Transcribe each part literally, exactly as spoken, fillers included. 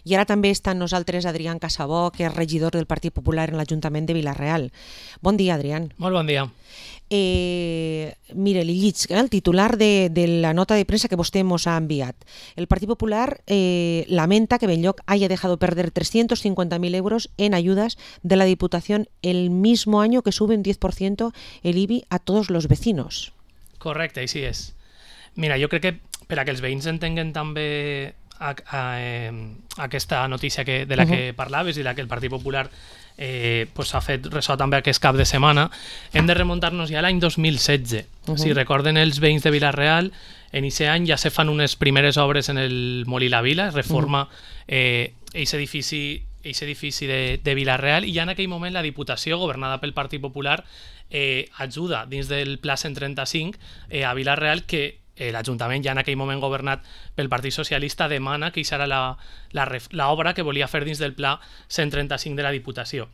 I ara també està amb nosaltres Adrián Casabó, que és regidor del Partit Popular en l'Ajuntament de Vila-real. Bon dia, Adrián. Molt bon dia. Eh, mire, li lliig el titular de, de la nota de premsa que vostè ens ha enviat. El Partit Popular eh, lamenta que Benlloc haya dejado perder trescientos cincuenta mil euros en ayudas de la Diputación el mismo año que sube un diez por ciento el I B I a todos los vecinos. Correcte, així és. Mira, jo crec que per a que els veïns entenguen també a, a, eh, aquesta notícia que, de la que uh-huh. parlaves i la que el Partit Popular eh, pues, ha fet ressò també aquest cap de setmana, hem de remuntar-nos ja a l'any dos mil setze. Uh-huh. Si recorden els veïns de Vila-real, en aquest any ja se fan unes primeres obres en el Molí La Vila, es reforma eh, aquest edifici aquest edifici de, de Vila-real, i ja en aquell moment la Diputació, governada pel Partit Popular, eh, ajuda dins del Pla cent trenta-cinc eh, a Vila-real, que eh, l'Ajuntament, ja en aquell moment governat pel Partit Socialista, demana que això era l'obra que volia fer dins del Pla cent trenta-cinc de la Diputació.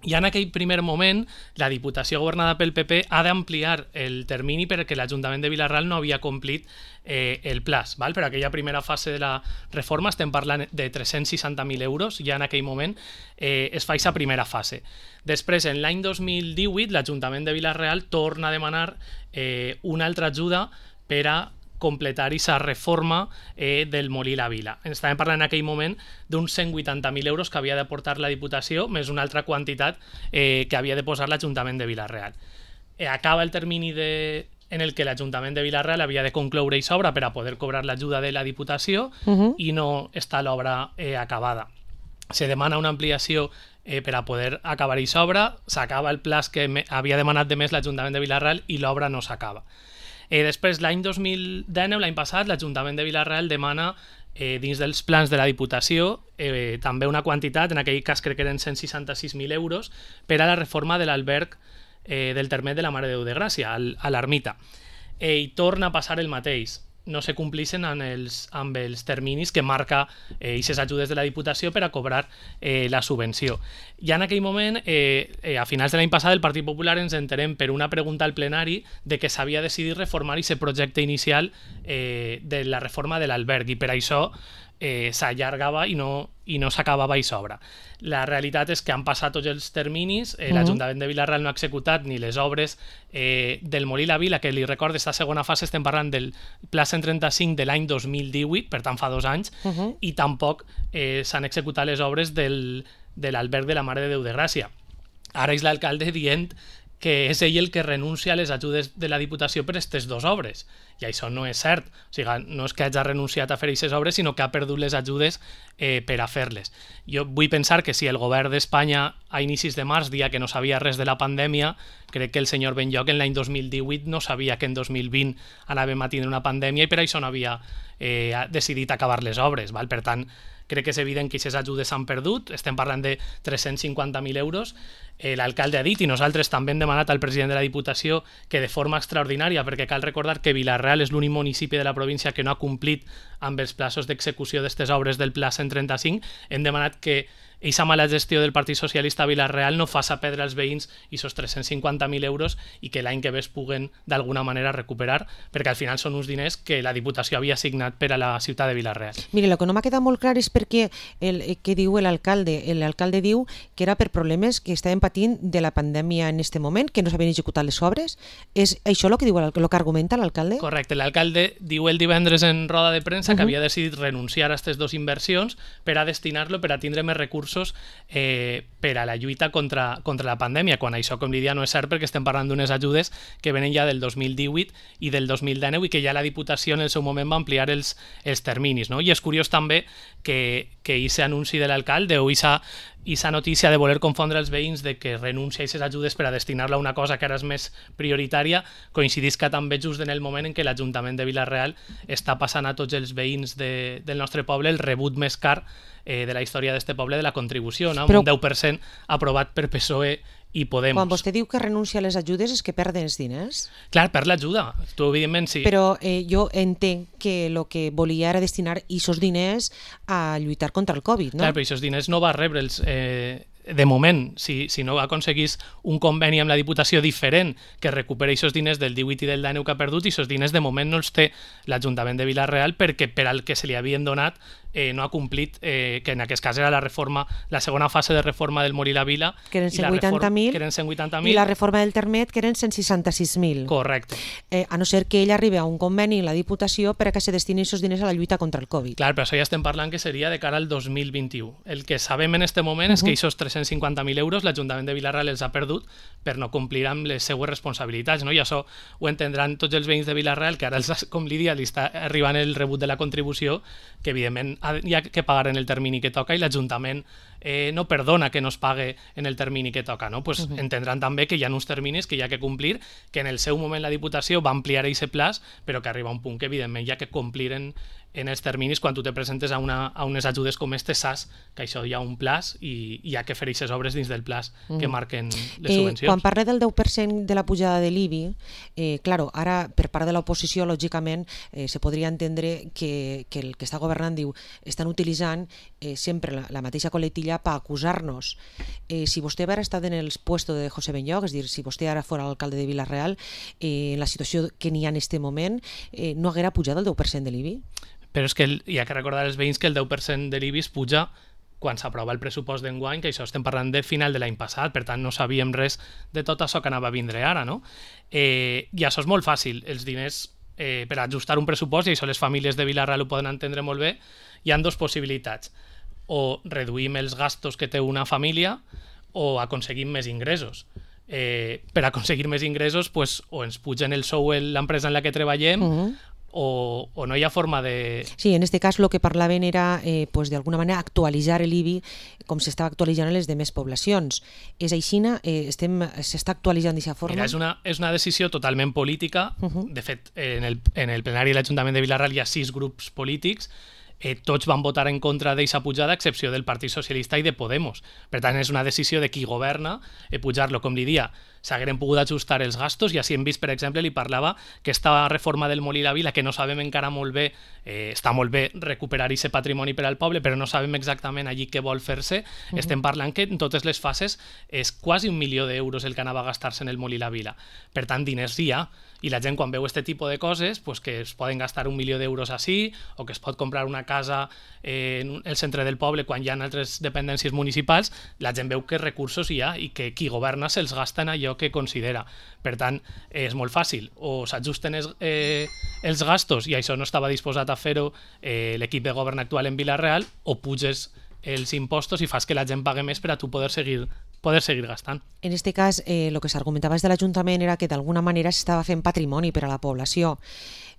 I en aquell primer moment, la Diputació governada pel P P ha d'ampliar el termini perquè l'Ajuntament de Vila-real no havia complit eh, el plaç. Val? Per aquella primera fase de la reforma estem parlant de tres-cents seixanta mil euros, ja en aquell moment eh, es fa aquesta primera fase. Després, en l'any dos mil divuit, l'Ajuntament de Vila-real torna a demanar eh, una altra ajuda per a completar aquesta reforma eh, del Molí La Vila. Estàvem parlant en aquell moment d'uns cent vuitanta mil euros que havia de portar la Diputació, més una altra quantitat eh, que havia de posar l'Ajuntament de Vila-real. Eh, acaba el termini de, en el que l'Ajuntament de Vila-real havia de concloure aquesta obra per a poder cobrar l'ajuda de la Diputació uh-huh. i no està l'obra eh, acabada. Se demana una ampliació eh, per a poder acabar aquesta obra, s'acaba el plaç que me, havia demanat de més l'Ajuntament de Vila-real i l'obra no s'acaba. Eh, després, l'any dos mil dinou, l'any passat, l'Ajuntament de Vila-real demana eh, dins dels plans de la Diputació eh, també una quantitat, en aquell cas crec que eren cent seixanta-sis mil euros, per a la reforma de l'alberg eh, del Termet de la Mare de Déu de Gràcia, al, a l'Ermita. Eh, I torna a passar el mateix. No se complixen amb els, amb els terminis que marca aquestes eh, ajudes de la Diputació per a cobrar eh, la subvenció. Ja en aquell moment, eh, eh, a finals de l'any passat, el Partit Popular ens enterem per una pregunta al plenari de que s'havia decidit reformar aquest projecte inicial eh, de la reforma de l'alberg, i per això eh, s'allargava i no, i no s'acabava aquesta obra. La realitat és que han passat tots els terminis, eh, l'Ajuntament de Vila-real no ha executat ni les obres eh, del Molí La Vila, que li recordo, aquesta segona fase estem parlant del Pla cent trenta-cinc de l'any dos mil divuit, per tant fa dos anys, uh -huh. i tampoc eh, s'han executat les obres del, de l'alberg de la Mare de Déu de Gràcia. Ara és l'alcalde dient que és ell el que renuncia a les ajudes de la Diputació per aquestes dues obres. I això no és cert. O sigui, no és que hagi renunciat a fer aquestes obres, sinó que ha perdut les ajudes eh, per a fer-les. Jo vull pensar que si el govern d'Espanya a inicis de març dia que no sabia res de la pandèmia, crec que el senyor Benlloc en l'any dos mil divuit no sabia que en dos mil vint anàvem a tindre una pandèmia i per això no havia eh, decidit acabar les obres. Val? Per tant, crec que és evident que aquestes ajudes s'han perdut, estem parlant de tres-cents cinquanta mil euros. Eh, l'alcalde ha dit, i nosaltres també hem demanat al president de la Diputació que de forma extraordinària, perquè cal recordar que Vila-real és l'únic municipi de la província que no ha complit amb els plaços d'execució d'aquestes obres del Pla cent trenta-cinc, hem demanat que aquesta mala gestió del Partit Socialista a Vila-real no faça perdre als veïns aquests tres-cents cinquanta mil euros i que l'any que ve es puguen d'alguna manera recuperar, perquè al final són uns diners que la Diputació havia assignat per a la ciutat de Vila-real. Mire, el que no m'ha quedat molt clar és perquè el que diu l'alcalde. L'alcalde diu que era per problemes que estaven patint de la pandèmia en aquest moment, que no s'havien executat les obres. És això el que diu el que argumenta l'alcalde? Correcte, l'alcalde diu el divendres en roda de premsa uh-huh. que havia decidit renunciar a aquestes dues inversions per a destinar-lo per a tindre més recursos Eh, per a la lluita contra, contra la pandèmia, quan això, com li dia, no és cert perquè estem parlant d'unes ajudes que venen ja del dos mil divuit i del dos mil dinou i que ja la Diputació en el seu moment va ampliar els, els terminis. No? I és curiós també que aquest anunci de l'alcalde o aquesta notícia de voler confondre els veïns de que renuncia a aquestes ajudes per a destinar-la a una cosa que ara és més prioritària coincidisca també just en el moment en què l'Ajuntament de Vila-real està passant a tots els veïns de, del nostre poble el rebut més car eh, de la història d'este poble de la contribució, no? Però un deu per cent aprovat per P S O E i Podemos. Quan vostè diu que renuncia a les ajudes és que perden els diners? Clar, per l'ajuda, tu evidentment sí. Però eh, jo entenc que el que volia era destinar aquests diners a lluitar contra el Covid, no? Clar, però aquests diners no va rebre'ls eh, de moment, si, si no aconseguís un conveni amb la Diputació diferent que recuperi aquests diners del divuit i del dinou que ha perdut, i aquests diners de moment no els té l'Ajuntament de Vila-real perquè per al que se li havien donat eh, no ha complit, eh, que en aquest cas era la reforma, la segona fase de reforma del Morir la Vila, que eren cent vuitanta mil, i la reforma del Termet, que eren cent seixanta-sis mil. Correcte. Eh, a no ser que ell arribi a un conveni en la Diputació per a que se destinin aquests diners a la lluita contra el Covid. Clar, però això ja estem parlant que seria de cara al dos mil vint-i-u. El que sabem en aquest moment uh -huh. és que aquests tres-cents cinquanta mil euros l'Ajuntament de Vila-real els ha perdut per no complir amb les seues responsabilitats, no? I això ho entendran tots els veïns de Vila-real, que ara, els, com li dia, li està arribant el rebut de la contribució, que evidentment hi ha que pagar en el termini que toca, i l'Ajuntament eh, no perdona que no es pague en el termini que toca, no? Pues uh -huh. entendran també que hi ha uns terminis que hi ha que complir, que en el seu moment la Diputació va ampliar aquest plaç, però que arriba un punt que evidentment hi ha que complir en, en els terminis quan tu te presentes a, una, a unes ajudes com este, saps que això hi ha un plaç i hi ha que fer aquestes obres dins del plaç que marquen les eh, subvencions. Quan parla del deu per cent de la pujada de l'I B I, eh, claro, ara per part de l'oposició, lògicament, eh, se podria entendre que, que el que està governant diu estan utilitzant eh, sempre la, la mateixa coletilla per acusar-nos. Eh, si vostè haguera estat en el puesto de José Benlloch, és dir, si vostè ara fora alcalde de Vila-real, eh, en la situació que n'hi ha en aquest moment, eh, no haguera pujat el deu per cent de l'I B I? Però és que el, hi ha que recordar als veïns que el deu per cent de l'I B I es puja quan s'aprova el pressupost d'enguany, que això estem parlant de final de l'any passat, per tant no sabíem res de tot això que anava a vindre ara, no? Eh, I això és molt fàcil, els diners eh, per ajustar un pressupost, i això les famílies de Vila-real ho poden entendre molt bé, hi ha dues possibilitats: o reduïm els gastos que té una família o aconseguim més ingressos. Eh, per aconseguir més ingressos, pues, o ens pugen el sou en l'empresa en la que treballem, uh-huh. O, o no hi ha forma de... Sí, en este cas el que parlaven era eh, pues, d'alguna manera actualitzar l'I B I com s'estava actualitzant en les demés poblacions. És així, eh, s'està actualitzant d'aquesta forma? Mira, és una, és una decisió totalment política. Uh-huh. De fet, en el, en el plenari de l'Ajuntament de Vila-real hi ha sis grups polítics. Eh, tots van votar en contra d'aquesta pujada, a excepció del Partit Socialista i de Podemos. Per tant, és una decisió de qui governa eh, pujar-lo. Com li dia, s'hagueren pogut ajustar els gastos, i així hem vist, per exemple, li parlava que esta reforma del Molí la Vila, que no sabem encara molt bé, eh, està molt bé recuperar aquest patrimoni per al poble, però no sabem exactament allí què vol fer-se. Uh-huh. Estem parlant que en totes les fases és quasi un milió d'euros el que anava a gastar-se en el Molí la Vila. Per tant, diners hi ha. I la gent, quan veu aquest tipus de coses, pues que es poden gastar un milió d'euros així, o que es pot comprar una casa eh, en el centre del poble quan hi ha altres dependències municipals, la gent veu que recursos hi ha i que qui governa se'ls gasta en allò que considera. Per tant, eh, és molt fàcil. O s'ajusten els, eh, els gastos, i això no estava disposat a fer-ho eh, l'equip de govern actual en Vila-real, o puges els impostos i fas que la gent pague més per a tu poder seguir poder seguir gastant. En aquest cas, eh, el que s'argumentava des de l'Ajuntament era que d'alguna manera s'estava fent patrimoni per a la població.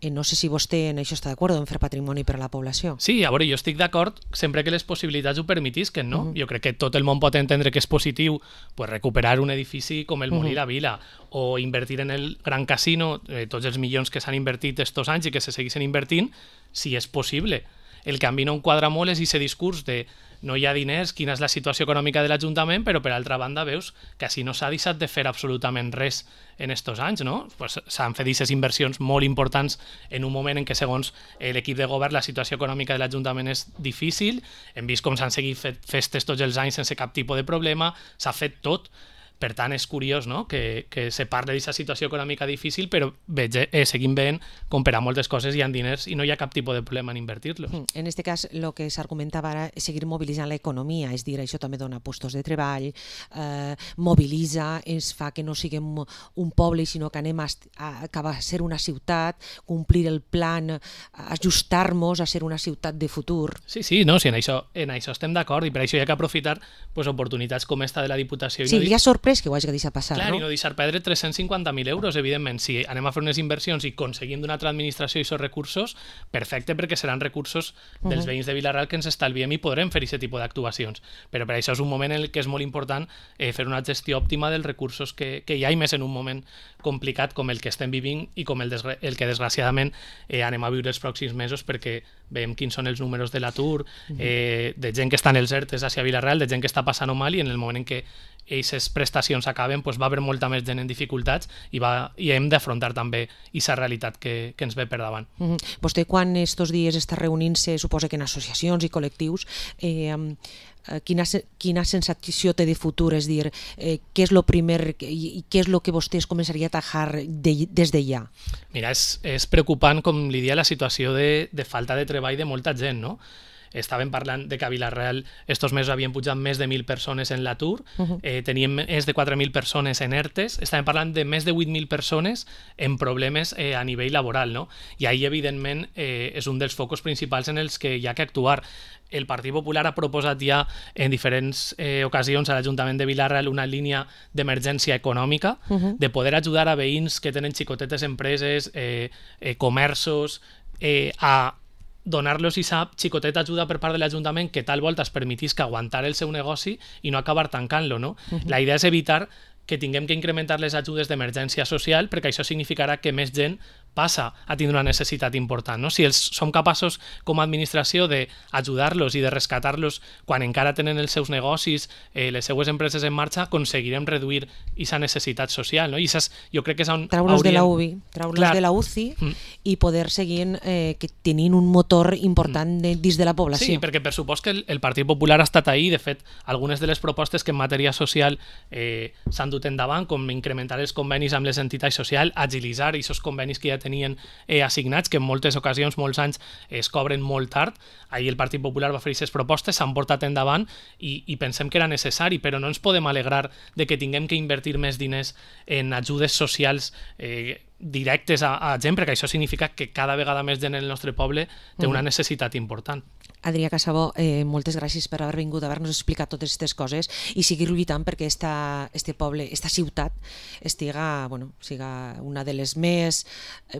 Eh, no sé si vostè en això està d'acord, en fer patrimoni per a la població. Sí, a veure, jo estic d'acord sempre que les possibilitats ho permetisquen, no? Uh -huh. Jo crec que tot el món pot entendre que és positiu pues, recuperar un edifici com el Molí uh -huh. la Vila, o invertir en el Gran Casino, eh, tots els milions que s'han invertit estos anys i que se segueixen invertint, si és possible. El canvi no enquadra molt és aquest discurs de no hi ha diners, quina és la situació econòmica de l'Ajuntament, però per altra banda veus que així no s'ha deixat de fer absolutament res en estos anys, no? Pues s'han fet aquestes inversions molt importants en un moment en què, segons l'equip de govern, la situació econòmica de l'Ajuntament és difícil. Hem vist com s'han seguit fet festes tots els anys sense cap tipus de problema, s'ha fet tot. Per tant, és curiós, no?, que, que se parli d'aquesta situació econòmica difícil, però veig, eh, seguim veient com per a moltes coses hi ha diners i no hi ha cap tipus de problema en invertir-los. En aquest cas, el que s'argumentava ara és seguir mobilitzant l'economia, és dir, això també dona llocs de treball, eh, mobilitza, ens fa que no siguem un poble, sinó que anem a, a acabar a ser una ciutat, complir el plan, ajustar-nos a ser una ciutat de futur. Sí, sí, no, sí, en això, en això estem d'acord, i per això hi ha que aprofitar pues, oportunitats com esta de la Diputació. I sí, no hi ha sorprès que ho hagi deixat passar, clar, no? I no deixar perdre tres-cents cinquanta mil euros, evidentment. Si anem a fer unes inversions i aconseguim d'una altra administració aquests recursos, perfecte, perquè seran recursos dels uh-huh. veïns de Vila-real que ens estalviem i podrem fer aquest tipus d'actuacions. Però per això és un moment en el que és molt important eh, fer una gestió òptima dels recursos que, que hi ha, i més en un moment complicat com el que estem vivint i com el, desgra- el que desgraciadament eh, anem a viure els pròxims mesos, perquè veiem quins són els números de l'atur, uh-huh. eh, de gent que està en els ERTEs hacia Vila-real, de gent que està passant-ho mal, i en el moment en què aquestes prestacions prestacions acaben, doncs va haver molta més gent en dificultats i, va, i hem d'afrontar també aquesta realitat que, que ens ve per davant. Mm-hmm. Vostè quan estos dies està reunint-se, suposa que en associacions i col·lectius, eh, quina, quina sensació té de futur? És dir, eh, què és el primer i què és el que vostès començaria a atajar de, des de ja? Mira, és, és preocupant, com li dia, la situació de, de falta de treball de molta gent, no? Estàvem parlant de que a Vila-real estos mesos havien pujat més de mil persones en l'atur, uh-huh. eh, teníem més de quatre mil persones en ERTES, estàvem parlant de més de vuit mil persones en problemes eh, a nivell laboral, no? I ahir, evidentment, eh, és un dels focus principals en els que hi ha que actuar. El Partit Popular ha proposat ja en diferents eh, ocasions a l'Ajuntament de Vila-real una línia d'emergència econòmica, uh-huh. de poder ajudar a veïns que tenen xicotetes empreses, eh, eh, comerços, eh, a donar-los aquesta xicoteta ajuda per part de l'Ajuntament que tal volta es permetís que aguantar el seu negoci i no acabar tancant-lo, no? Uh-huh. La idea és evitar que tinguem que incrementar les ajudes d'emergència social perquè això significarà que més gent passa a tindre una necessitat important, no? Si els som capaços com a administració d'ajudar-los i de rescatar-los quan encara tenen els seus negocis, eh, les seues empreses en marxa, aconseguirem reduir aquesta necessitat social, no? I és, jo crec que és on traure'ls hauríem... de la U B I, traure'ls de la U C I mm. i poder seguir eh, que tenint un motor important de, dins de la població. Sí, perquè per supost que el, el Partit Popular ha estat ahí, de fet, algunes de les propostes que en matèria social eh, s'han dut endavant, com incrementar els convenis amb les entitats socials, agilitzar aquests convenis que ja tenien eh, assignats, que en moltes ocasions, molts anys, es cobren molt tard. Ahir el Partit Popular va fer aquestes propostes, s'han portat endavant i, i pensem que era necessari, però no ens podem alegrar de que tinguem que invertir més diners en ajudes socials eh, directes a, a gent, perquè això significa que cada vegada més gent en el nostre poble té una necessitat important. Adrià Casabó, eh, moltes gràcies per haver vingut a haver-nos explicat totes aquestes coses i seguir lluitant perquè esta, este poble, esta ciutat estiga, bueno, siga una de les més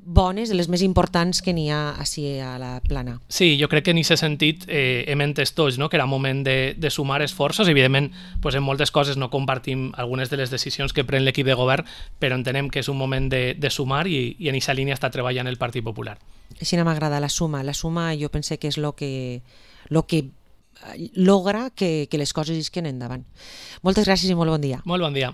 bones, de les més importants que n'hi ha així a la plana. Sí, jo crec que en aquest sentit eh, hem entès tots, no?, que era moment de, de sumar esforços. Evidentment, pues, en moltes coses no compartim algunes de les decisions que pren l'equip de govern, però entenem que és un moment de, de sumar i, i en aquesta línia està treballant el Partit Popular. Així no m'agrada la suma. La suma jo pense que és el que, lo que logra que, que les coses isquen endavant. Moltes gràcies i molt bon dia. Molt bon dia.